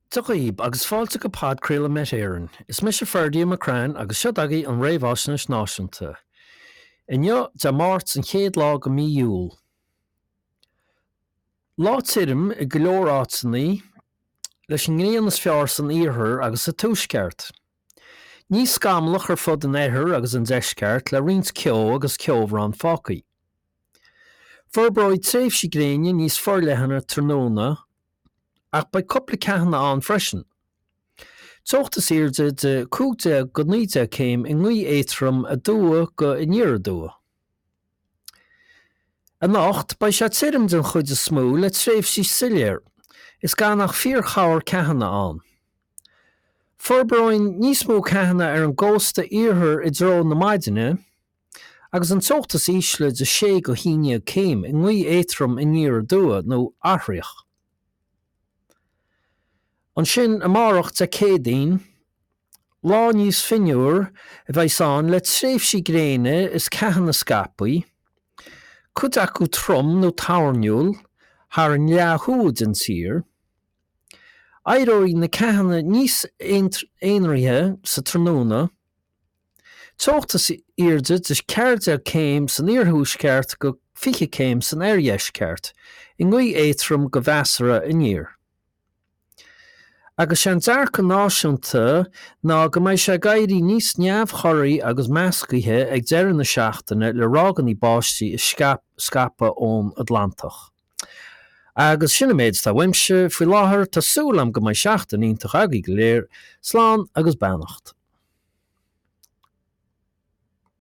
Dia dhaoib agus fáilte go podchraoladh Met Éireann. Is mise Ferdia McCrann agus seo agaibh an Réamhaisnéis Náisiúnta. Inniu, Dé Máirt an chéad lá de mí Iúil. Lá tirim i go leor áiteanna, leis an ngrian is fearr san iarthar agus sa tuaisceart. Níos scamallach ar fud an oirthir agus an deisceart le roinnt ceo agus ceobhrán fágtha. Forbróidh tréimhsí gréine níos forleithne tráthnóna ach beidh cúpla ceathanna ann freisin. Teocht is airde de 15-19 céim i ngaoth éadrom aduaidh go aniar aduaidh. Anocht, beidh sé tirim den chuid is mó le tréimhsí soiléir is gan ach fíorchorr ceathanna ann. Forbróidh níos mó ceathanna ar an gcósta iarthair i dtreo na maidine agus an teocht is ísle de 6-11 céim i ngaoth éadrom aniar aduaidh nó athraitheach. Ansin amárach Dé Céadaoin, lá níos fionnuaire a bheas ann le tréimhsí gréine is ceathanna scaipthe, cuid acu trom nó toirniúil, thar an leath thuaidh den tír. Éireoidh na ceathanna níos aonraithe sa tráthnóna. Teocht is airde de 14 céim san iarthuaisceart go 20 céim san oirdheisceart, i ngaoth éadrom go mheasartha aniar. Agus sé an dearcadh náisiúnta ná go mbeidh sé ag éirí níos neamhchorraí agus meascaithe ag deireadh na seachtaine le ráigeanna báistí ag scaipeadh ón Atlantach. Agus sin an méid atá uaimse faoi láthair, tá súil agam go mbeidh seachtain iontach agaibh go léir. Slán agus beannacht.